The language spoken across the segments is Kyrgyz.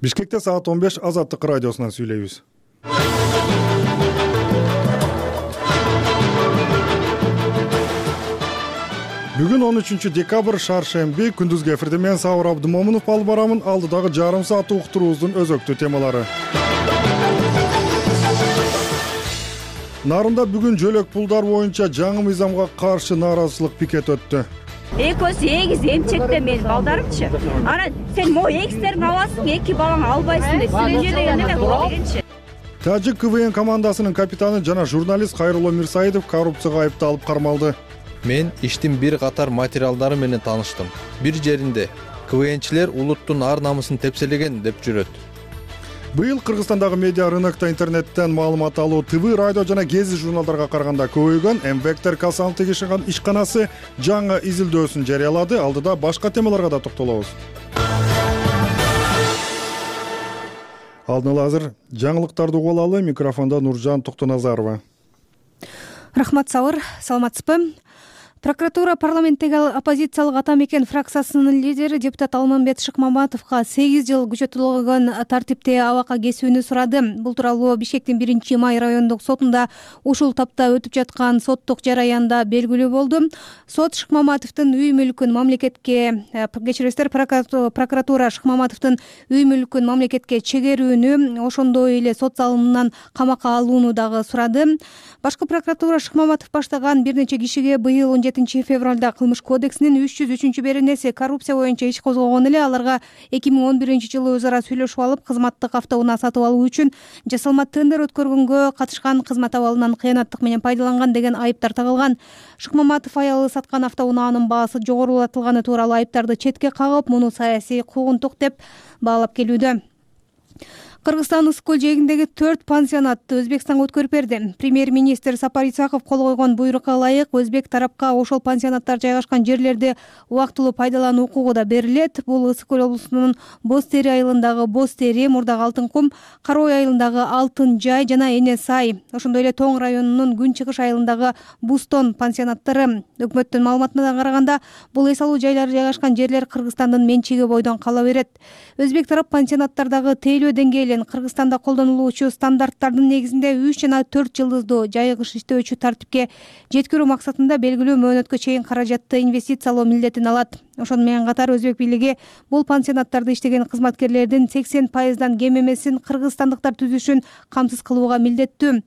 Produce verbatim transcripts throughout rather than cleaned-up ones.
Бишкекте саат он беш Азаттык радиосунан сүйлөйбүз. Бүгүн он үчүнчү декабрь шаршемби, күндүзгү эфирде мен Сабыр Абдымомунов алып барамын. Алдыдагы жарым саат уктуруубуздун өзөктүү темалары. Нарында бүгүн жөлөк пулдар боюнча жаңы мыйзамга каршы нааразычылык пикет өттү. Экөөсү эгиз эмчекте менин балдарымчы. Анан сен могу эгиздерин аласың, эки балаңы албайсың деп сүйлөйт деген эле бул дегенчи. Тажик КВН командасынын капитаны жана журналист Кайрулло Мирсаидов коррупцияга айыпталып кармалды. Мен иштин бир катар материалдары менен тааныштым. Бир жеринде КВНчилер улуттун ар намысын тепселеген деп жүрөт. Быйыл Кыргызстандагы медиа рынокто интернеттен маалымат алуу ТВ, радио жана гезит журналдарга караганда көбөйгөн. Мвектер Касантык ишканасы жаңы изилдөөсүн жарыялады. Алдыда башка темаларга да токтолобуз. Алдын ала азыр жаңылыктарды угуп алалы. Микрофондо Нуржан Токтоназарова. Рахмат, Сабыр. Саламатсызбы? Прокуратура парламенттеги оппозициялык ата мекен фракциясынын лидери депутат Алмамбет Шыкмаматовго сегиз жыл күчөтүлгөн тартипте абакка кесүүнү сурады. Бул тууралуу Бишкектин биринчи май райондук сотунда ушул тапта өтүп жаткан соттук жараянда белгилүү болду. Сот Шыкмаматовдун үй мүлкүн мамлекетке, кечиресиздер, прокуратура Шыкмаматовдун үй мүлкүн мамлекетке чегерүүнү, ошондой эле сот залымынан камакка алууну дагы сурады. Башкы прокуратура Шыкмаматов баштаган бир нече кишиге быйыл он жетинчи февралда Кылмыш кодексинин үч жүз үчүнчү беренеси коррупция боюнча иш козгогон эле. Аларга эки миң он биринчи жылы өз ара сүйлөшүп алып, кызматтык автоунаа сатып алуу үчүн жасалма тендер өткөргөнгө катышкан, кызмат абалынан кыянаттык менен пайдаланган деген айыптар тагылган. Шыкмаматов аялы саткан автоунаанын баасы жогорулатылганы тууралуу айыптарды четке кагып, муну саясий куугунтук деп баалап келүүдө. Кыргызстан ысык көл жээгиндеги төрт пансионатты Өзбекстанга өткөрүп берди. Премьер-министр Сапар Исаков кол койгон буйрукка ылайык өзбек тарапка ошол пансионаттар жайгашкан жерлерди убактылуу пайдалануу укугу да берилет. Бул ысык көл облусунун Боз Тери айылындагы Боз Тери, Мурдак Алтын кум, Кара Ой айылындагы Алтын Жай жана Эне Сай, ошондой эле Тоң районунун Күн Чыгыш айылындагы Бустон пансионаттары. Өкмөттүн маалыматына караганда, бул эс алуу жайлары жайгашкан жерлер Кыргызстандын менчиги бойдон кала берет. Өзбек тарап пансионаттардагы тейлөө деңгээли Кыргызстанда колдонулуучу стандарттардын негизинде үч жана төрт жылдыздуу жайгыш иштөөчү тартипке жеткирүү максатында белгилүү мөөнөткө чейин каражатты инвестициялоо милдетин алат. Ошону менен катар Өзбек бийлиги бул пансионаттарда иштеген кызматкерлердин сексен пайыздан кем эмесин кыргызстандыктар түзүшүн камсыз кылууга милдеттүү.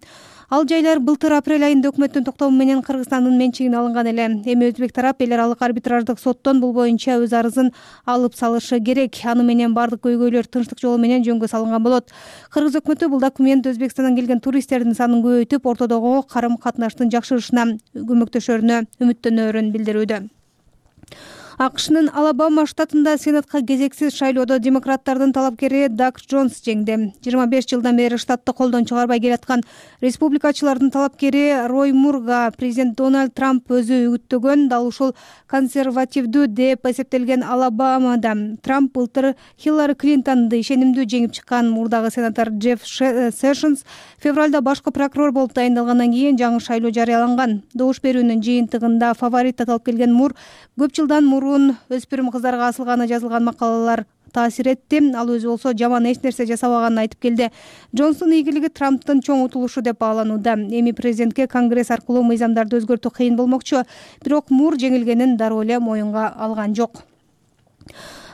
Ал жайлар былтыр апрель айында өкмөттүн токтому менен Кыргызстандын менчигине алынган эле. Эми Өзбек тарап эл аралык арбитраждык соттон бул боюнча өз арызын алып салышы керек. Аны менен бардык көйгөйлөр тынчтык жолу менен жөнгө салынган болот. Кыргыз өкмөтү бул документ Өзбекстандан келген туристтердин санын көбөйтүп, ортодогу карым катнаштын жакшырышына көмөктөшөрүнө үмүттөнөрүн билдирүүдө. АКШнын Алабама штатында Сенатка кезексиз шайлоодо демократтардын талапкери Даг Джонс жеңди. жыйырма беш жылдан бери штатты колдон чыгарбай келаткан республикачылардын талапкери Рой Мурга президент Дональд Трамп өзү үгүттөгөн, дал ушул консервативдүү деп эсептелген Алабамада Трамп былтыр Хиллари Клинтонду ишенимдүү жеңип чыккан. Мурдагы сенатор Джефф Сэшнс февралда башкы прокурор болуп дайындалгандан кийин жаңы шайлоо жарыяланган. Добуш берүүнүн жыйынтыгында фаворит аталып келген Мур көп жылдан мурун өспүрүм кыздарга асылганы жазылган макалалар таасир этти. Ал өзү болсо жаман эч нерсе жасабаганын айтып келди. Джонстун ийгилиги Трамптын чоң утулушу деп бааланууда. Эми президентке Конгресс аркылуу мыйзамдарды өзгөртүү кыйын болмокчу, бирок Мур жеңилгенин дароо эле моюнга алган жок.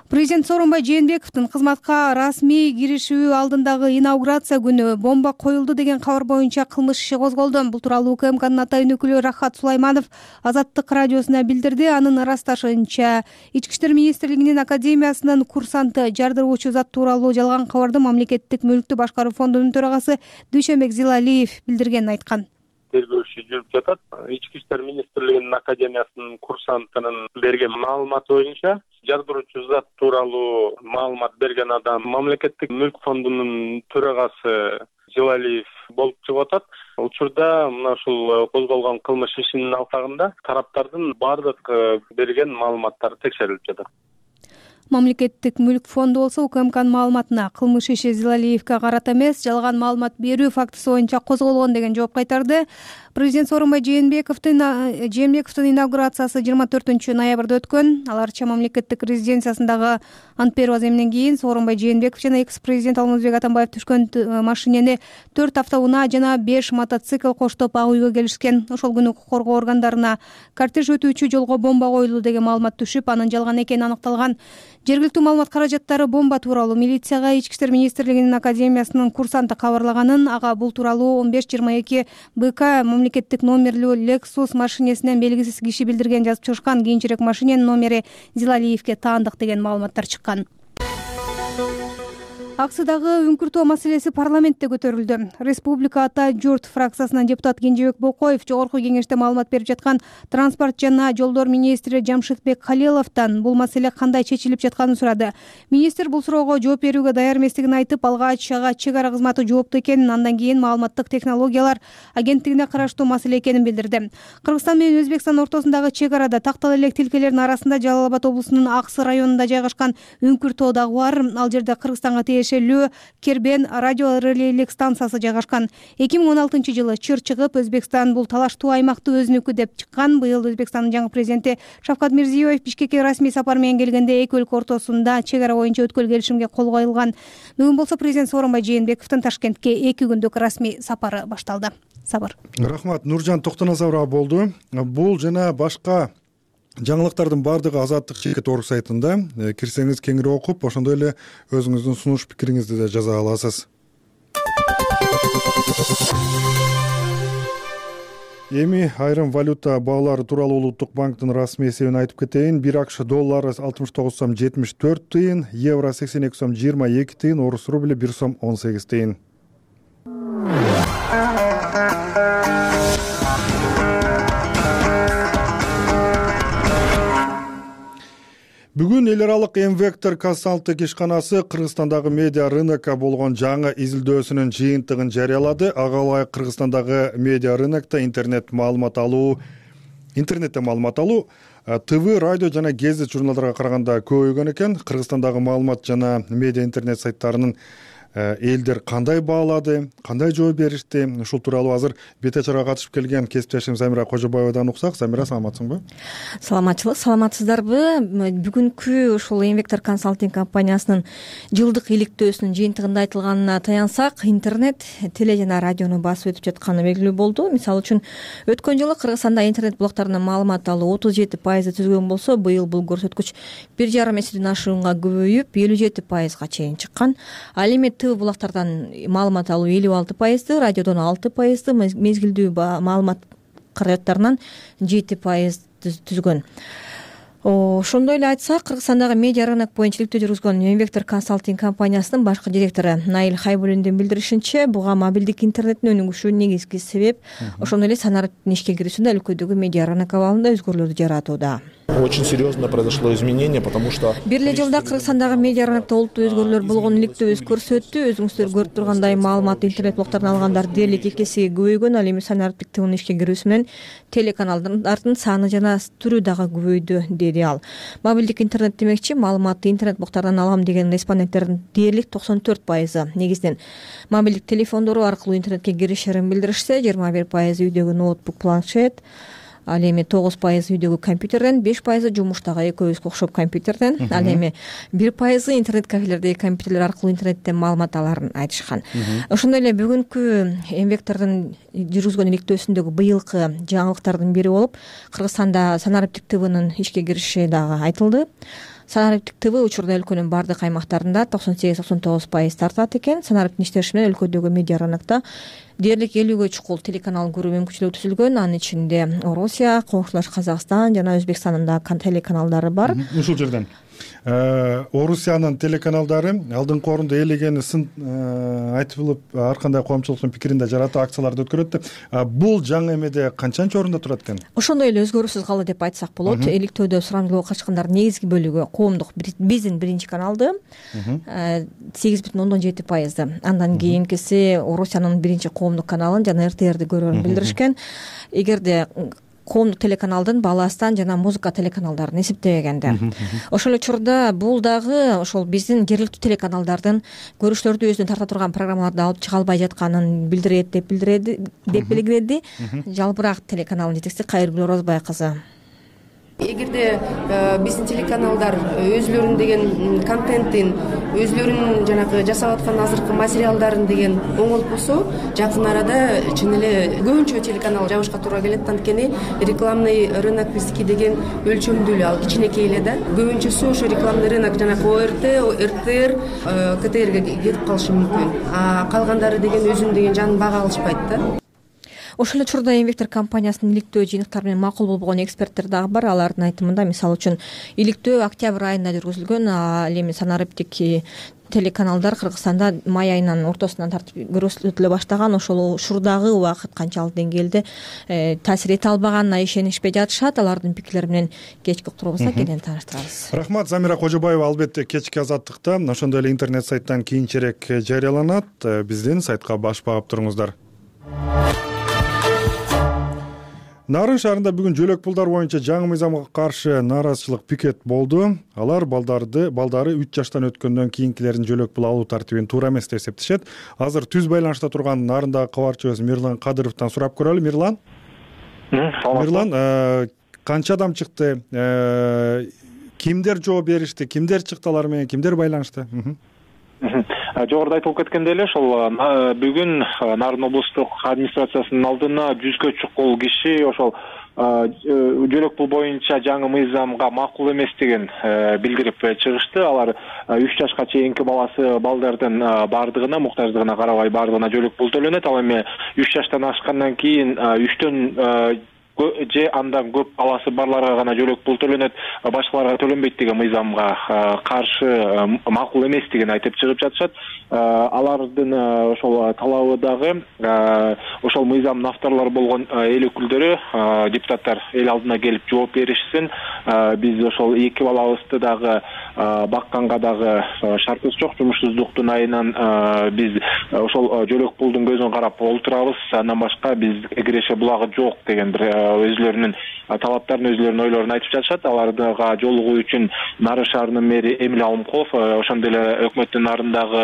Президент Сооронбай Жээнбековдун кызматка расмий киришүү алдындагы инаугурация күнү бомба коюлду деген кабар боюнча кылмыш иши козголду. Бул тууралуу УКМКнын атайын өкүлү Рахат Сулайманов Азаттык радиосуна билдирди. Анын ырасташынча, Ички иштер министрлигинин академиясынын курсанты жардыруучу зат тууралуу жалган кабарды мамлекеттик мүлктү башкаруу фондунун төрагасы Дүйшөнбек Зилалиев билдиргенин айткан. Тергөө иши жүрүп жатат. Ички иштер министрлигинин академиясынын курсантынын берген маалыматы боюнча жардыруучу зат тууралуу маалымат берген адам мамлекеттик мүлк фондунун төрагасы Зилалиев болуп чыгып атат. Учурда мына ушул козголгон кылмыш ишинин алкагында тараптардын бардык берген маалыматтары текшерилип жатат. Мамлекеттик мүлк фонду болсо УКМКнын маалыматына кылмыш иши Зилалиевге карата эмес, жалган маалымат берүү фактысы боюнча козголгон деген жооп кайтарды. Президент Сооронбай Жээнбековдун Жээнбековдун инаугурациясы жыйырма төртүнчү ноябрда өткөн. Аларча мамлекеттик резиденциясындагы ант берүү аземинен кийин Сооронбай Жээнбеков жана экс-президент Алмазбек Атамбаев түшкөн машинени төрт автоунаа жана беш мотоцикл коштоп ак үйгө келишкен. Ошол күнү укук коргоо органдарына кортеж өтүүчү жолго бомба коюлду деген маалымат түшүп, анын жалган экени аныкталган. Жергиликтүү маалымат каражаттары бомба тууралуу милицияга Ички иштер министрлигинин академиясынын курсанты кабарлаганын, ага бул тууралуу он беш жыйырма эки БК мамлекеттик номерлүү Lexus машинесинен белгисиз киши билдирген жазып чыгышкан. Кийинчерээк машиненин номери Зилалиевге таандык деген маалыматтар чыккан. Аксыдагы үңкүртөө маселеси парламентте көтөрүлдү. Республика Ата журт фракциясынан депутат Кенжебек Бокоев жогорку кеңеште маалымат берип жаткан транспорт жана жолдор министри Жамшитбек Халиловдон бул маселе кандай чечилип жатканын сурады. Министр бул суроого жооп берүүгө даяр эместигин айтып, алгач ага чек ара кызматы жоопту экенин, андан кийин маалыматтык технологиялар агенттигине караштуу маселе экенин билдирди. Кыргызстан менен Өзбекстан ортосундагы чек арада тактала элек тилкелердин арасында Жалал Абад облусунун Аксы районунда жайгашкан үңкүртөө дагы бар. Ал жерде Кыргызстанга Кербен радио релейлик станциясы жайгашкан. эки миң он алтынчы жылы чыр чыгып, Өзбекстан бул талаштуу аймакты өзүнүкү деп чыккан. Быйыл Өзбекстандын жаңы президенти Шавкат Мирзиёев Бишкекке расмий сапар менен келгенде эки өлкө ортосунда чек ара боюнча өткөл келишимге кол коюлган. Бүгүн болсо президент Сооронбай Жээнбековдун Ташкентке эки күндүк расмий сапары башталды. Сабыр. Рахмат, Нуржан Токтоназарова болду. Бул жана башка жаңылыктардын баардыгы Азаттык чекит орг сайтында. Кирсеңиз кеңири окуп, ошондой эле өзүңүздүн сунуш пикириңизди да жаза аласыз. Эми айрым валюта баалары тууралуу Улуттук банктын расмий эсебин айтып кетейин. бир АКШ доллары алтымыш тогуз сом жетимиш төрт тыйын, евро сексен эки сом жыйырма эки тыйын, орус рубли бир сом он сегиз тыйын. Бүгүн эл аралык М-Вектор консалтинг ишканасы Кыргызстандагы медиа рынокко болгон жаңы изилдөөсүнүн жыйынтыгын жарыялады. Ага ылайык Кыргызстандагы медиа рынокто интернет маалымат алуу, интернетте маалымат алуу ТВ, радио жана гезит журналдарга караганда көбөйгөн экен. Кыргызстандагы маалымат жана медиа интернет сайттарынын элдер кандай баалады, кандай жооп беришти? Ушул тууралуу азыр бет ачарга катышып келген кесиптешим Замира Кожобаевадан уксак. Замира, саламатсыңбы? Саламатчылык, саламатсыздарбы? Бүгүнкү ушул М-Вектор консалтинг компаниясынын жылдык иликтөөсүнүн жыйынтыгында айтылганына таянсак, интернет, теле жана радиону басып өтүп жатканы белгилүү болду. Мисалы үчүн, өткөн жылы Кыргызстанда интернет блоктарынан маалымат алуу отуз жети пайызды түзгөн болсо, быйыл бул көрсөткүч бир жарым эседен ашуунга көбөйүп, элүү жети пайызга чейин чыккан. Ал эми ТВ булактардан маалымат алуу элүү алты пайызды, радиодон алты пайызды, мезгилдүү маалымат каражаттарынан жети пайыз түзгөн. Ошондой эле айтсак, Кыргызстандагы медиа рынок боюнча иликтөө жүргүзгөн М-Вектор консалтинг компаниясынын башкы директору Наил Хайбуллиндин билдиришинче, буга мобилдик интернеттин өнүгүшү негизги себеп. Ошондой эле санариптин ишке кирүүсүндө өлкөдөгү медиа рынок абалында өзгөрүүлөрдү жаратууда. Очень серьезно произошло изменение, потому что бир эле жылда Кыргызстандагы медиа рынокто олуттуу өзгөрүүлөр болгон иликтөөбүз көрсөттү. Өзүңүздөр көрүп тургандай, маалыматты интернет блоктардан алгандар дээрлик эки эсеге көбөйгөн. Ал эми санариптик тывынын ишке кирүүсү менен телеканалдардын саны жана түрү дагы көбөйдү, деди ал. Мобилдик интернет демекчи, маалыматты интернет блоктардан алам деген респонденттердин дээрлик токсон төрт пайызы негизинен мобилдик телефондору аркылуу интернетке киришерин билдиришсе, жыйырма бир пайызы үйдөгү ноутбук, планшет, ал эми тогуз пайызы үйдөгү компьютерден, беш пайызы жумуштагы экөөбүзгө окшоп компьютерден, ал эми бир пайызы интернет кафелердеги компьютерлер аркылуу интернеттен маалымат аларын айтышкан. Ошондой эле бүгүнкү М-Вектордун жүргүзгөн иликтөөсүндөгү быйылкы жаңылыктардын бири болуп, Кыргызстанда санариптик ТВнын ишке кириши дагы айтылды. Санариптик ТВ учурда өлкөнүн бардык аймактарында токсон сегиз токсон тогуз пайыз тартат экен. Санариптин иштеши менен өлкөдөгү медиа рынокто дээрлик элүүгө чукул телеканал көрүү мүмкүнчүлүгү түзүлгөн. Анын ичинде Орусия, коңшулаш Казакстан жана Өзбекстандын да телеканалдары бар. Ушул жерден Орусиянын телеканалдары алдыңкы орунда ээлегенисин айтылып, ар кандай коомчулуктун пикиринде жаратуу акцияларды өткөрөт. Бул жаңы эмеде канчанчы орунда турат экен? Ошондой эле өзгөрүүсүз калды деп айтсак болот. Иликтөөдө сурамжылоого качкандардын негизги бөлүгү коомдук биздин биринчи каналды, сегиз бүтүн ондон жети пайызды. Андан кийинкиси Орусиянын биринчи коомдук каналын жана эр тэ эрди көрөрүн билдиришкен. Эгерде коомдук телеканалдын баластан жана музыка телеканалдарын эсептебегенде. Ошол эле учурда бул дагы ошол биздин жергиликтүү телеканалдардын көрүүчүлөрдү өзүнө тарта турган программаларды алып чыга албай жатканын билдирет деп билдирди деп белгиледи Жалбырак телеканалынын жетекчиси Кайыргүл Орозбай кызы. Эгерде биздин телеканалдар өзлөрүнүн деген контентин, өзлөрүнүн жанагы жасап аткан азыркы материалдарын деген оңолуп болсо, жакын арада чын эле көбүнчө телеканал жабышка туура келет. Анткени рекламный рынок биздики деген өлчөмдүү эле, ал кичинекей эле да. Көбүнчөсү ошо рекламный рынок жанагы О Р Т, Р Т Р, К Т Рге кетип калышы мүмкүн. А калгандары деген өзүнүн деген жанын бага алышпайт да. Ошол эле учурда Инвектор компаниясынын иликтөө жыйынтыктары менен макул болбогон эксперттер дагы бар. Алардын айтымында, мисалы үчүн, иликтөө октябрь айында жүргүзүлгөн, ал эми санариптик телеканалдар Кыргызстанда май айынын ортосунан тартып көрсөтүлө баштаган. Ошол учурдагы убакыт канчалык деңгээлде таасир эте албаганына ишенишпей жатышат. Алардын пикирлери менен кечки уктурубузда кенен тааныштырабыз. Рахмат. Замира Кожобаева албетте кечки азаттыкта ошондой эле интернет сайттан кийинчерээк жарыяланат. Биздин сайтка баш багып туруңуздар. Нарын шаарында бүгүн жөлөк пулдар боюнча жаңы мыйзамга каршы нааразычылык пикет болду. Алар балдарды балдары үч жаштан өткөндөн кийинкилерин жөлөк пул алуу тартибин туура эмес деп эсептешет. Азыр түз байланышта турган Нарындагы кабарчыбыз Мирлан Кадыровдон сурап көрөлү. Мирлан. Мирлан, канча адам чыкты? Кимдер жооп беришти? Кимдер чыкты алар менен? Кимдер байланышты? Жогоруда айтылып кеткендей эле, ошол бүгүн Нарын облустук администрациясынын алдына жүзгө чукул киши ошол жөлөк пул боюнча жаңы мыйзамга макул эместигин билдирип чыгышты. Алар үч жашка чейинки баласы балдардын бардыгына, муктаждыгына карабай бардыгына жөлөк пул төлөнөт. Ал эми үч жаштан ашкандан кийин үчтөн же андан көп баласы барларга гана жөлөк пул төлөнөт, башкаларга төлөнбөйт деген мыйзамга каршы макул эместигин айтып чыгып жатышат. Алардын ошол талабы дагы ошол мыйзамдын авторлору болгон эл өкүлдөрү, депутаттар эл алдына келип жооп беришсин. Биз ошол эки балабызды дагы бакканга дагы шартыбыз жок. Жумушсуздуктун айынан биз ошол жөлөк пулдун көзүн карап олтурабыз. Андан башка бизге киреше булагы жок деген бир өзлөрүнүн талаптарын, өзлөрүнүн ойлорун айтып жатышат. Аларга жолугуу үчүн Нарын шаарынын мэри Эмиль Алымкулов, ошондой эле өкмөттүн Нарындагы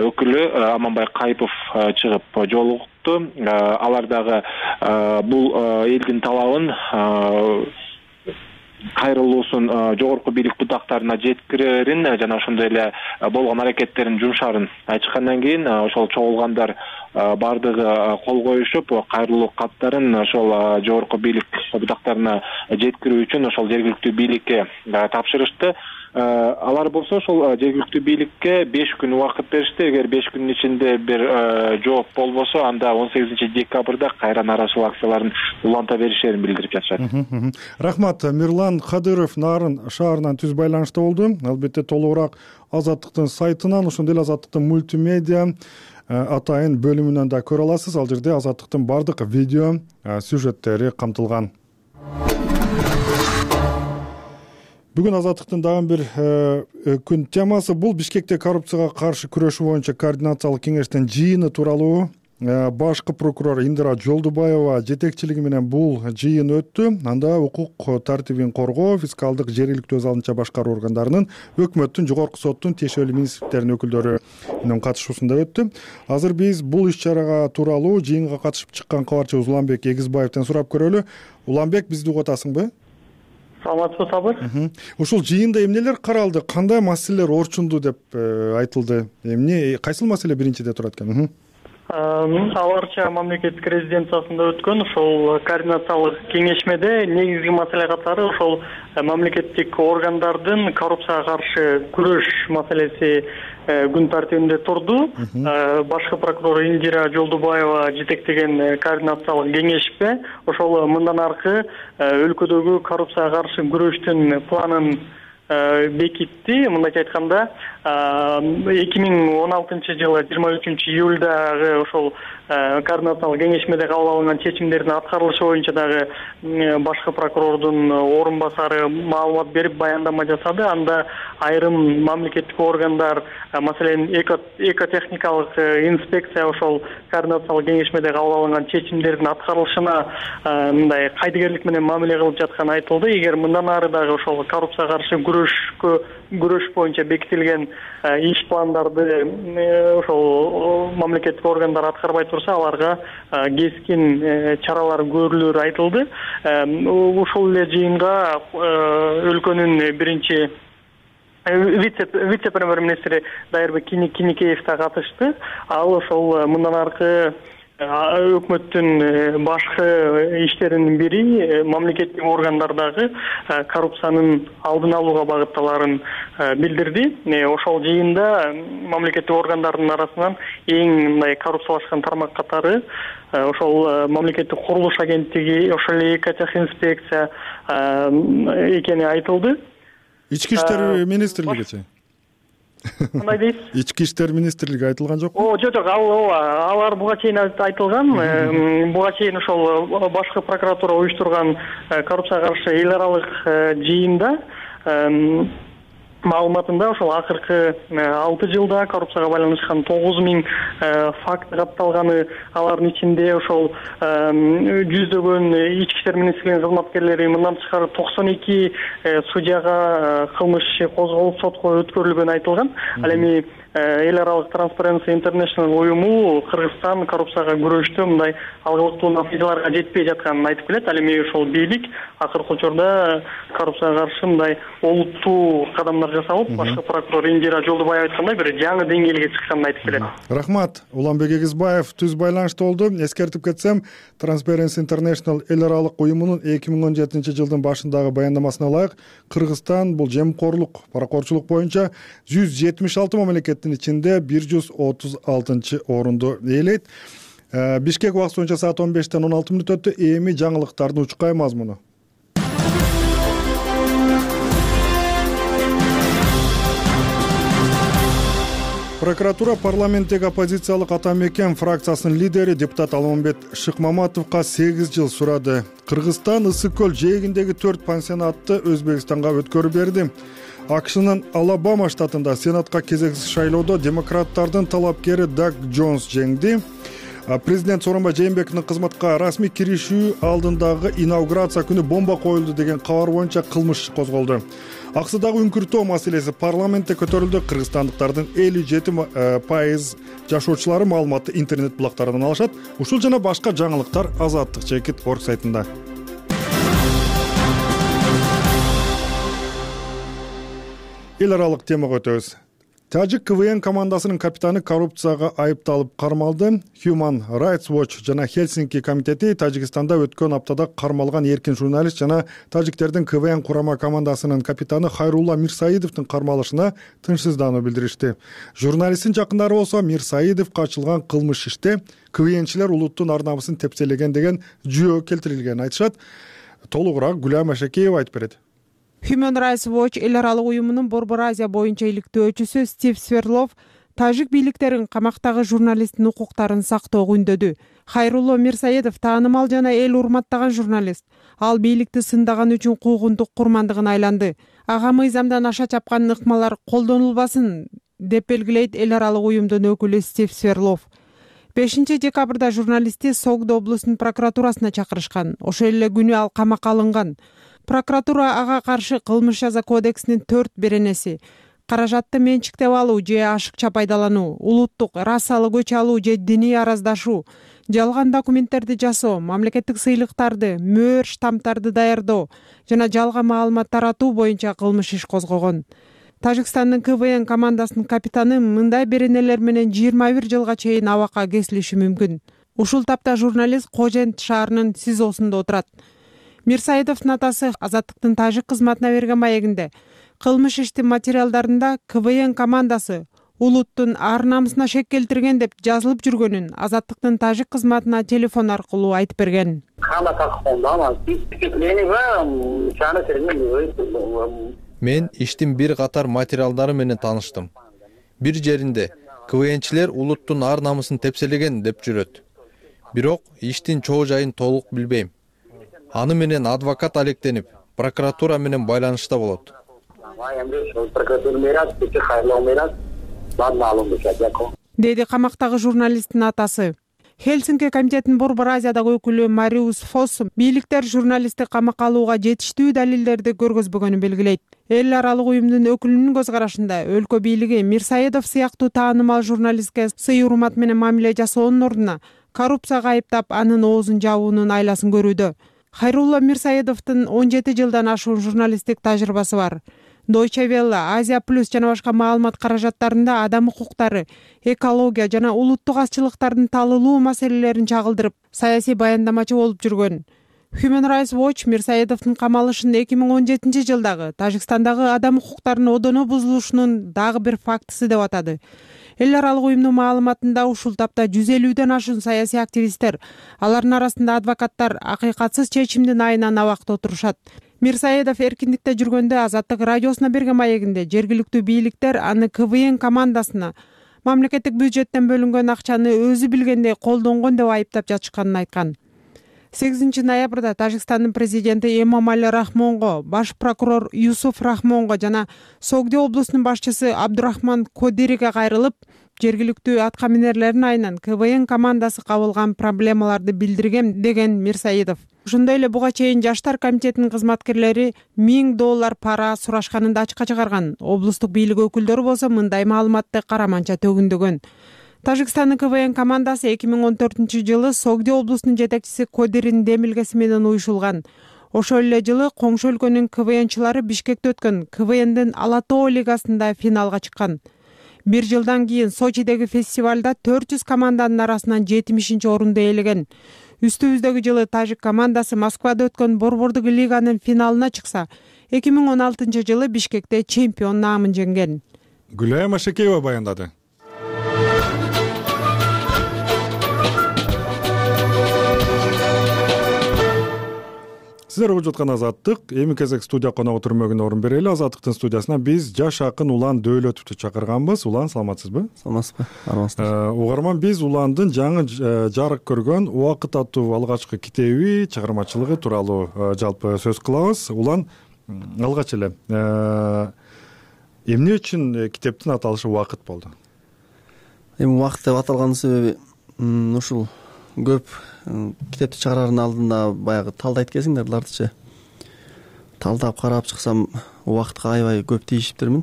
өкүлү Аманбай Кайыпов чыгып жолукту. Алар дагы бул элдин талабын, кайрылуусун жогорку бийлик бутактарына жеткирерин жана ошондой эле болгон аракеттерин жумшарын айтышкандан кийин ошол чогулгандар бардыгы кол коюшуп, кайрылуу каттарын ошол жогорку бийлик бутактарына жеткирүү үчүн ошол жергиликтүү бийликке тапшырышты. Алар болсо ошол жергиликтүү бийликке беш күн убакыт беришти. Эгер беш күнүн ичинде бир жооп болбосо, анда он сегизинчи декабрда кайра нааразычылык акцияларын уланта беришерин билдирип жатышат. Рахмат. Мирлан Кадыров Нарын шаарынан түз байланышта болду. Албетте толугураак Азаттыктын сайтынан, ошондой эле Азаттыктын мультимедиа атайын бөлүмүнөн да көрө аласыз. Ал жерде Азаттыктын бардык видео сюжеттери камтылган. Бүгүн Азаттыктын дагы бир күн темасы бул Бишкекте коррупцияга каршы күрөшүү боюнча координациялык кеңештин жыйыны тууралуу. Башкы прокурор Индира Жолдубаева жетекчилиги менен бул жыйын өттү. Анда укук тартибин коргоо, фискалдык, жергиликтүү өз алдынча башкаруу органдарынын, өкмөттүн, жогорку соттун, тиешелүү министрликтердин өкүлдөрү менен катышуусунда өттү. Азыр биз бул иш-чарага тууралуу жыйынга катышып чыккан кабарчыбыз Уланбек Эгизбаевден сурап көрөлү. Уланбек, бизди угуп атасыңбы? Саламатсызбы, Сабыр? Ушул жыйында эмнелер каралды, кандай маселелер орчунду деп айтылды? Эмне, кайсыл маселе биринчиде турат экен? Аларча мамлекеттик резиденциясында өткөн ошол координациялык кеңешмеде негизги маселе катары ошол мамлекеттик органдардын коррупцияга каршы күрөш маселеси күн тартибинде турду. Башкы прокурор Индира Жолдубаева жетектеген координациялык кеңешпе ошол мындан аркы өлкөдөгү коррупцияга каршы күрөштүн планын бекитти. Мындайча айтканда эки миң он алтынчы жылы жыйырма үчүнчү июлдагы ошол координациялык кеңешмеде кабыл алынган чечимдердин аткарылышы боюнча дагы башкы прокурордун орун басары маалымат берип баяндама жасады. Анда айрым мамлекеттик органдар, маселен экотехникалык инспекция ошол координациялык кеңешмеде кабыл алынган чечимдердин аткарылышына мындай кайдыгерлик менен мамиле кылып жатканы айтылды. Эгер мындан ары дагы ошол коррупцияга каршы күрөшкө күрөш боюнча бекитилген иш пландарды ошол мамлекеттик органдар аткарбай турса, аларга кескин чаралар көрүлөрү айтылды. Ушул эле жыйынга өлкөнүн биринчи вице премьер-министри Дайырбек Киникеев да катышты. Ал ошол мындан аркы өкмөттүн башкы иштеринин бири мамлекеттик органдардагы коррупциянын алдын алууга багытталарын билдирди. Ошол жыйында мамлекеттик органдардын арасынан эң мындай коррупциялашкан тармак катары ошол мамлекеттик курулуш агенттиги, ошол эле экотехинспекция экени айтылды. Ички иштер министрлигичи кандай дейсиз? Ички иштер министрлиги айтылган жокпу? О, жок, жок, ал алар буга чейин айтылган. Буга чейин ошол башкы прокуратура уюштурган коррупцияга каршы эл аралык жыйында маалыматында ошол акыркы алты жылда коррупцияга байланышкан тогуз миң факт катталганы, алардын ичинде ошол жүздөгөн ички иштер министрлигинин кызматкерлери, мындан тышкары токсон эки судьяга кылмыш иши козголуп сотко өткөрүлгөнү айтылган. Ал эми эл аралык Transparency International уюму Кыргызстан коррупцияга күрөштө мындай алгылыктуу натыйжаларга жетпей жатканын айтып келет. Ал эми ошол бийлик акыркы учурда коррупцияга каршы мындай олуттуу кадамдар жасалып, башкы прокурор Индира Жолдубаева айткандай бир жаңы деңгээлге чыкканын айтып келет. Рахмат. Уланбек Эгизбаев түз байланышта болду. Эскертип кетсем, Transparency International эл аралык уюмунун эки миң он жетинчи жылдын башындагы баяндамасына ылайык, Кыргызстан бул жемкорлук, паракорчулук боюнча жүз жетимиш алты мамлекеттин ичинде бир жүз отуз алтынчы орунду ээлейт. Бишкек убакыты боюнча саат он бештен он алты мүнөт өттү. Эми жаңылыктардын учкай мазмуну. Прокуратура парламенттеги оппозициялык Ата Мекен фракциясынын лидери депутат Алмамбет Шыкмаматовго сегиз жыл сурады. Кыргызстан Ысык көл жээгиндеги төрт пансионатты Өзбекстанга өткөрүп берди. АКШнын Алабама штатында Сенатка кезексиз шайлоодо демократтардын талапкери Даг Джонс жеңди. Президент Сооронбай Жээнбековдун кызматка расмий киришүү алдындагы инаугурация күнү бомба коюлду деген кабар боюнча кылмыш иши козголду. Аксыдагы үңкүртөө маселеси парламентте көтөрүлдү. Кыргызстандыктардын элүү жети пайыз жашоочулары маалыматты интернет булактарынан алышат. Ушул жана башка жаңылыктар Азаттык чекит орг сайтында. Эл аралык темага өтөбүз. Тажик КВН командасынын капитаны коррупцияга айыпталып кармалды. Human Rights Watch жана Хельсинки комитети Тажикстанда өткөн аптада кармалган эркин журналист жана тажиктердин КВН курама командасынын капитаны Хайрулла Мирсаидовдун кармалышына тынчсыздануу билдиришти. Журналисттин жакындары болсо Мирсаидовго ачылган кылмыш иште КВНчилер улуттун ар намысын тепселеген деген жүйө келтирилгенин айтышат. Толугураак Гүлам Ашакеева айтып берет. Human Rights Watch эл аралык уюмунун Борбор Азия боюнча иликтөөчүсү Стив Сверлов тажик бийликтерин камактагы журналисттин укуктарын сактоого үндөдү. Хайрулло Мирсаидов таанымал жана эл урматтаган журналист. Ал бийликти сындаган үчүн куугунтук курмандыгын айланды. Ага мыйзамдан аша чапкан ыкмалар колдонулбасын деп белгилейт эл аралык уюмдун өкүлү Стив Сверлов. бешинчи декабрда журналистти Согдо облусунун прокуратурасына чакырышкан. Ошол эле күнү ал камакка алынган. Прокуратура ага каршы кылмыш жаза кодексинин төрт беренеси каражатты менчиктеп алуу же ашыкча пайдалануу, улуттук, расалык көч алуу же диний араздашуу, жалган документтерди жасоо, мамлекеттик сыйлыктарды, мөөр штамптарды даярдоо жана жалган маалымат таратуу боюнча кылмыш иш козгогон. Тажикстандын КВН командасынын капитаны мындай беренелер менен жыйырма бир жылга чейин абакка кесилиши мүмкүн. Ушул тапта журналист Кожент шаарынын СИЗОсунда отурат. Мирсаидовдун атасы Азаттыктын тажик кызматына берген маегинде кылмыш иштин материалдарында КВН командасы улуттун ар намысына шек келтирген деп жазылып жүргөнүн Азаттыктын тажик кызматына телефон аркылуу айтып берген. Мен иштин бир катар материалдары менен тааныштым. Бир жеринде КВНчилер улуттун ар намысын тепселеген деп жүрөт. Бирок иштин чоо жайын толук билбейм. Аны менен адвокат алектенип, прокуратура менен байланышта болот. Деди камактагы журналисттин атасы. Хельсинки комитетинин Борбор Азиядагы өкүлү Мариус Фос бийликтер журналистти камакка алууга жетиштүү далилдерди көргөзбөгөнүн белгилейт. Эл аралык уюмдун өкүлүнүн көз карашында өлкө бийлиги Мирсаедов сыяктуу таанымал журналистке сый урмат менен мамиле жасоонун ордуна коррупцияга айыптап, анын оозун жабуунун айласын көрүүдө. Хайрулла Мирсаедовдун он жети жылдан ашуун журналисттик тажрыйбасы бар. Deutsche Welle, Азия плюс жана башка маалымат каражаттарында адам укуктары, экология жана улуттук азчылыктардын талылуу маселелерин чагылдырып, саясий баяндамачы болуп жүргөн. Human Rights Watch Мирсаедовдун камалышын эки миң он жетинчи жылдагы Тажикстандагы адам укуктарынын одоно бузулушунун дагы бир фактысы деп атады. Эл аралык уюмдун маалыматында ушул тапта жүз элүүдөн ашуун саясий активисттер, алардын арасында адвокаттар акыйкатсыз чечимдин айынан абакта отурушат. Мирсаедов эркиндикте жүргөндө Азаттык радиосуна берген маегинде жергиликтүү бийликтер аны КВН командасына мамлекеттик бюджеттен бөлүнгөн акчаны өзү билгендей колдонгон деп айыптап жатышканын айткан. сегизинчи ноябрда Тажикстандын президенти Эмомали Рахмонго, баш прокурор Юсуф Рахмонго жана Согди облусунун башчысы Абдурахман Кодириге кайрылып, жергиликтүү аткаминерлердин айынан КВН командасы кабылган проблемаларды билдиргем деген Мирсаедов. Ошондой эле буга чейин Жаштар комитетинин кызматкерлери миң доллар пара сурашканын да ачыкка чыгарган. Облустук бийлик өкүлдөрү болсо мындай маалыматты караманча төгүндөгөн. Тажикстандын КВН командасы эки миң он төртүнчү жылы Согди облусунун жетекчиси Кодиринин демилгеси менен уюшулган. Ошол эле жылы коңшу өлкөнүн КВНчылары Бишкекте өткөн КВНдин Ала Тоо лигасында финалга чыккан. Бир жылдан кийин Сочидеги фестивалда төрт жүз команданын арасынан жетимишинчи орунду ээлеген. Үстүбүздөгү жылы тажик командасы Москвада өткөн Борбордук лиганын финалына чыкса, эки миң он алтынчы жылы Бишкекте чемпион наамын жеңген. Гүлайым Ашекеева баяндады. Сиздер угуп жаткан Азаттык. Эми кезек студия коногу түрмөгүнө орун берели. Азаттыктын студиясына биз жаш акын Улан Дөөлөтовду чакырганбыз. Улан, саламатсызбы? Саламатсызбы? Армансызбы? Угарман, биз Уландын жаңы жарык көргөн Убакыт аттуу алгачкы китеби чыгармачылыгы тууралуу жалпы сөз кылабыз. Улан, алгач эле эмне үчүн китептин аталышы Убакыт болду? Эми Убакыт деп аталганын себеби ушул көп китепти чыгарардын алдында баягы талдайт кезиңдер булардычы. Талдап карап чыксам, убакытка аябай көп тийишиптермин.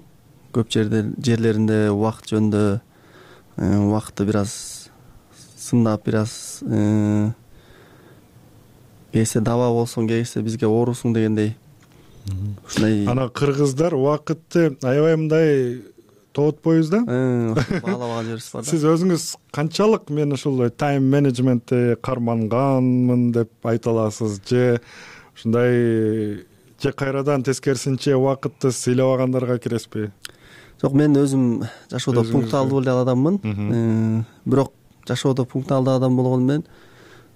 Көп жерде жерлеринде убакыт жөнүндө убакытты бир аз сындап, бир аз кээсе даба болсоң, кээсе бизге оорусуң дегендей. Ушундай. Ана кыргыздар убакытты аябай мындай тоотпойбуз да? Баалабаган жерибиз бар да. Сиз өзүңүз канчалык мен ушул тайм менеджментти карманганмын деп айта аласыз, же ушундай же кайрадан тескерисинче убакытты сыйлабагандарга киресизби? Жок, мен өзүм жашоодо пунктуалдуу эле адаммын. Бирок жашоодо пунктуалдуу адам болгону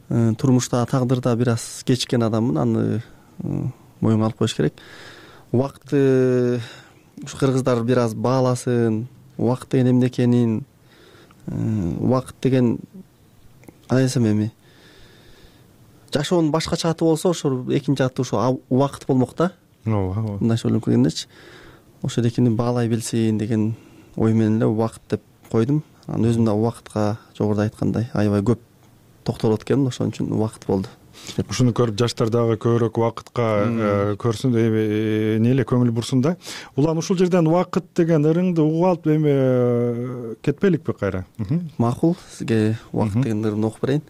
менен турмушта, тагдырда бир аз кечиккен адаммын. Аны моюнга алып коюш керек. Убакытты ушу кыргыздар бир аз бааласын, убакыт деген эмне экенин, убакыт деген айсам эми жашоонун башкача аты болсо, ошо экинчи аты ошо убакыт болмок да. Ооба. Мындайча ойлонуп келгендечи. Ошол экини баалай билсин деген ой менен эле убакыт деп койдум. Анан өзүм да убакытка жогоруда айткандай аябай көп токтолот экенмин, ошон үчүн убакыт болду. Ушуну көрүп жаштар дагы көбүрөөк убакытка көрсүн, эмне эле көңүл бурсун да. Улан, ушул жерден убакыт деген ырыңды угуп алып эми кетпеликпи кайра? Макул, сизге убакыт деген ырымды окуп берейин.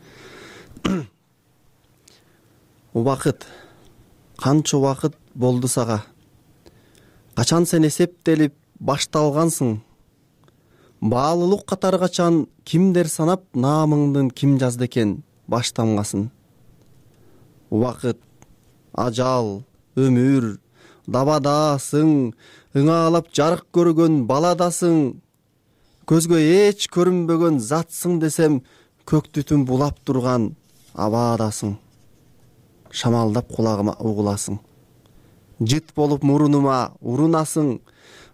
Убакыт. Канча убакыт болду сага? Качан сен эсептелип башталгансың? Баалуулук катары качан кимдер санап наамыңдын ким жазды экен баштамгасын? Убакыт, ажал, өмүр, дабадасың, ыңаалап жарык көргөн баладасың, көзгө эч көрүнбөгөн затсың десем, көк түтүн булап турган абаадасың. Шамалдап кулагыма угуласың. жыт болуп мурунума урунасың,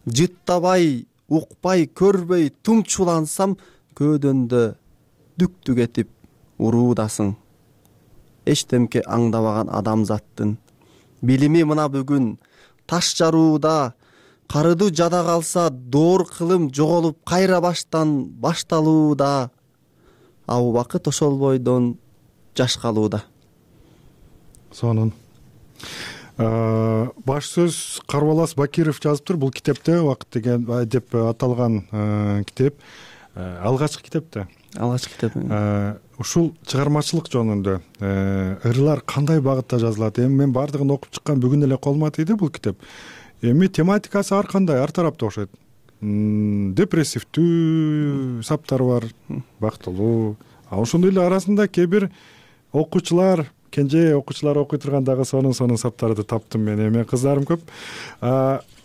жыттабай, укпай, көрбөй тумчулансам, көөдөндө дүктүк этип уруудасың. Эчтемке аңдабаган адамзаттын билими мына бүгүн таш жарууда, карыды жада калса доор кылым жоголуп кайра баштан башталууда, а убакыт ошол бойдон жаш калууда. Сонун. Баш сөз Карбалас Бакиров жазыптыр. Бул китепте «Убакыт» деген деп аталган китеп алгачкы китеп да. Алгачкы китеп. Ушул чыгармачылык жөнүндө ырлар кандай багытта жазылат? Эми мен бардыгын окуп чыккан, бүгүн эле колума тийди бул китеп. Эми тематикасы ар кандай, ар тарапта окшойт. Депрессивдүү саптар бар, бактылуу. А ошондой эле арасында кээ бир окуучулар, кенже окуучулар окуй тургандагы сонун сонун саптарды таптым мен. Эми кыздарым көп.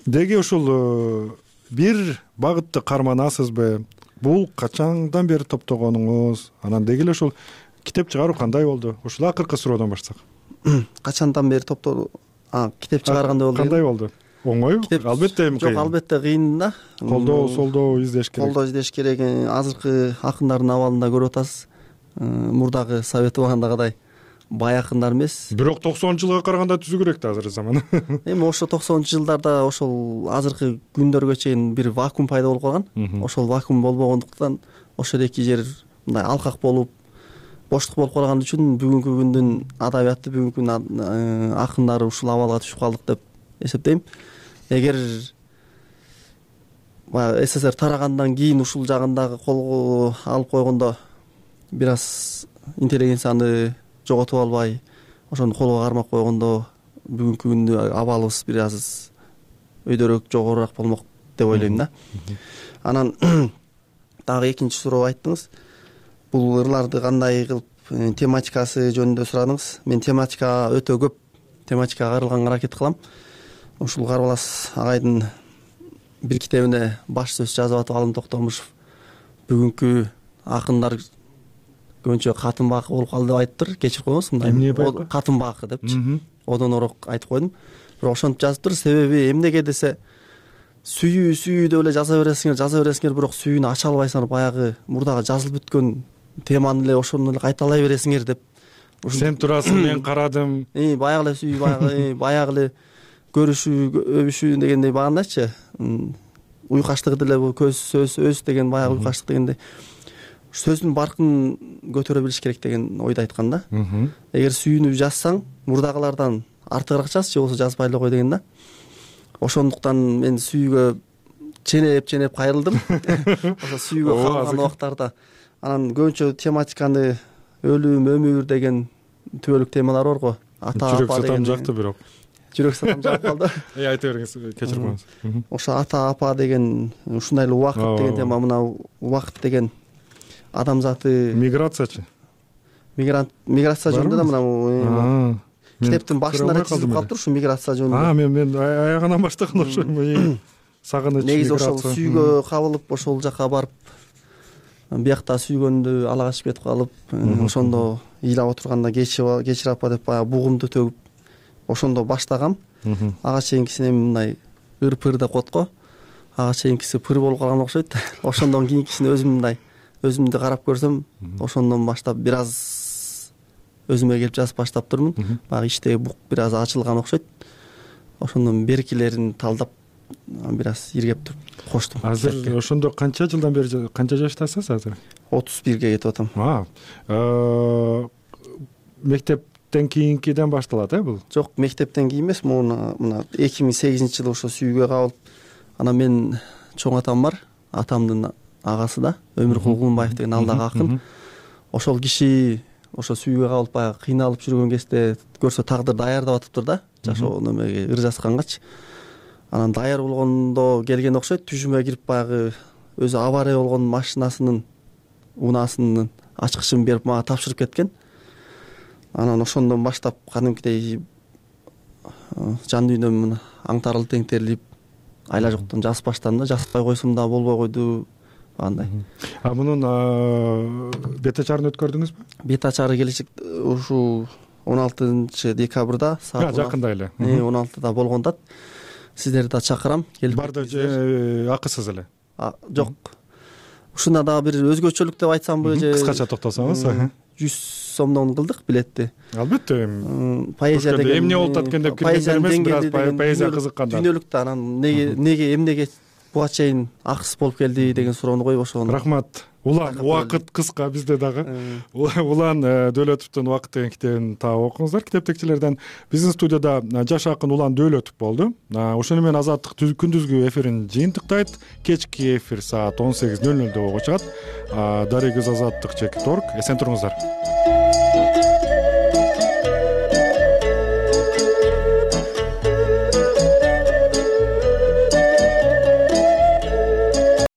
Деги ушул бир багытты карманасызбы? Бул качандан бери топтогонуңуз? Анан деги эле ушул китеп чыгаруу кандай болду? Ушул акыркы суроодон баштасак. Качандан бери топтоо, китеп чыгаргандай болду. Кандай болду? Оңойбу? Албетте эми кыйын. Жок, албетте кыйын да. Колдоо, солдоо издеш керек. Колдоо издеш керек. Азыркы акындардын абалында көрүп атасыз. Мурдагы совет убагындагыдай бай акындар эмес. Бирок токсонунчу жылга караганда түзүү керек да азыр заман. Эми ошо токсонунчу жылдарда ошол азыркы күндөргө чейин бир вакуум пайда болуп калган. Ошол вакуум болбогондуктан ошол эки жер мындай алкак болуп, боштук болуп калган үчүн бүгүнкү күндүн адабияты, бүгүнкү күндүн акындары ушул абалга түшүп калдык деп эсептейм. Эгер СССР тарагандан кийин ушул жагындагы колго алып койгондо бир аз интеллигенцияны жоготуп албай, ошону колго кармап койгондо бүгүнкү күндө абалыбыз бир аз өйдөрөөк, жогорураак болмок деп ойлойм да. Анан дагы экинчи суроо айттыңыз. Бул ырларды кандай кылып тематикасы жөнүндө сурадыңыз. Мен тематика өтө көп тематикага арылганга аракет кылам. Ушул Карбалас агайдын бир китебине баш сөз жазып атып Алым Токтомушев бүгүнкү акындар көбүнчө катын бакы болуп калды деп айтыптыр. Кечирип коюңуз, мындай катын бакы депчи. Одонороок айтып койдум. Бирок ошентип жазыптыр. Себеби эмнеге десе, сүйүү сүйүү деп эле жаза бересиңер, жаза бересиңер, бирок сүйүүнү ача албайсыңар, баягы мурдагы жазылып бүткөн теманы эле ошону эле кайталай бересиңер деп. Сен турасың, мен карадым. И баягы эле сүйүү, баягы баягы эле көрүшүү, өбүшүү дегендей багандачы. Уйкаштыгы деле көз сөз өз деген баягы уйкаштык дегендей. Сөздүн баркын көтөрө билиш керек деген ойду айткан да. Эгер сүйүүнү жазсаң, мурдагылардан артыгыраак жаз, же болбосо жазбай эле кой деген да. Ошондуктан мен сүйүүгө ченеп-ченеп кайрылдым. Ошо сүйүүгө калган убактарда. Анан көбүнчө тематиканы өлүм, өмүр деген түбөлүк темалар бар го. Ата апа деген жакты бирок. Жүрөк сатам жагып калды. Эй, айта бериңиз, кечирип коюңуз. Ошо ата апа деген, ушундай эле убакыт деген тема, мына убакыт деген адамзаты миграциячы. Мигрант миграция жөнүндө да мына китептин башында эле түзүлүп калыптыр ушу миграция жөнүндө. А, мен мен аягынан баштаган ошо сагыныч миграция. Негизи ошол сүйгө кабылып, ошол жака барып, биякта сүйгөндү ала качып кетип калып, ошондо ыйлап отурганда кечир апа деп баягы бугумду төгүп, ошондо баштагам. Ага чейинкисин эми мындай ыр-пыр деп коет го. Ага чейинкиси пыр болуп калган окшойт. Ошондон кийинкисин өзүм мындай өзүмдү карап көрсөм, ошондон баштап бир аз өзүмө келип жазып баштаптырмын. Баягы иштеги бук бир аз ачылган окшойт. Ошондон беркилерин талдап бир аз иргеп туруп коштум. Азыр ошондо канча жылдан бери, канча жаштасыз азыр? отуз бирге кетип атам. Мектептен кийинкиден башталат, э бул? Жок, мектептен кийин эмес, муну мына эки миң сегизинчи жылы ошо сүйүүгө кабылып, анан мен чоң атам бар, атамдын агасы да, Өмүр Кулгунбаев деген алдагы акын. Ошол киши ошо сүйүүгө кабылып баягы кыйналып жүргөн кезде көрсө тагдыр даярдап атыптыр да, жашоо немеге ыр жазгангачы. Анан даяр болгондо келген окшойт, түшүмө кирип баягы өзү авария болгон машинасынын унаасынын ачкычын берип мага тапшырып кеткен. Анан ошондон баштап кадимкидей жан дүйнөм мына аңтарылып теңтерилип, айла жоктон жазып баштадым да, жазбай койсом да болбой койду андай. А мунун бет ачарын өткөрдүңүзбү? Бет ачары келечек ушу он алтынчы декабрда саат жакында эле он алтыда болгон да. Сиздерди да чакырам, келип барды же акысыз эле? Жок. Ушунда дагы бир өзгөчөлүк деп айтсамбы же кыскача токтосоңуз? жүз сомдон кылдык билетти. Албетте. Поэзия деген эмне болуп аткан деп кирген эмес, бир аз поэзия кызыкканда. Дүйнөлүк да анан неге неге эмнеге буга чейин акысыз болуп келди деген суроону коюп ошого. Рахмат. Улан убакыт кыска бизде дагы. Улан Дөөлөтовдун Убакыт деген китебин таап окуңуздар китептекчилерден. Биздин студияда жаш акын Улан Дөөлөтов болду. Ошону менен Азаттык күндүзгү эфирин жыйынтыктайт. Кечки эфир саат он сегиз нөл нөлдө болуп чыгат. Дарыгыз Азаттык чекит орг. Эсен туруңуздар.